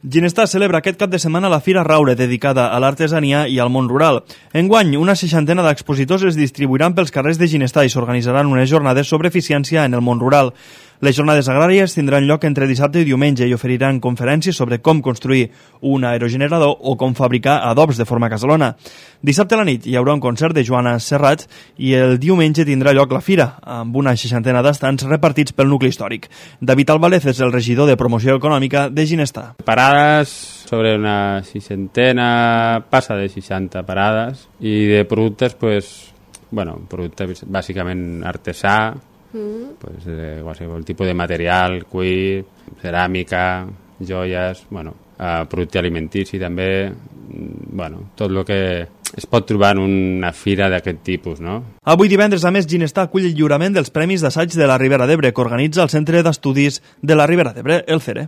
Ginestar celebra aquest cap de setmana la Fira Raure, dedicada a l'artesania i al món rural. Enguany, una 60 d'expositors es distribuiran pels carrers de Ginestar i s'organitzaran unes jornades sobre eficiència en el món rural. Les jornades agràries tindran lloc entre dissabte i diumenge i oferiran conferències sobre com construir un aerogenerador o com fabricar adobs de forma casalona. Dissabte a la nit hi haurà un concert de Joana Serrat i el diumenge tindrà lloc la fira, amb una 60 d'estants repartits pel nucli històric. David Albalez és el regidor de promoció econòmica de Ginestar. Parades sobre una 60, passa de 60 parades, i de productes, productes bàsicament artesà, qualsevol tipus de material, cuir, ceràmica, joies, producte alimentici també, tot el que es pot trobar en una fira d'aquest tipus, no? Avui divendres, a més, Ginestar acull el lliurament dels Premis d'Assaig de la Ribera d'Ebre, que organitza el Centre d'Estudis de la Ribera d'Ebre, el CERE.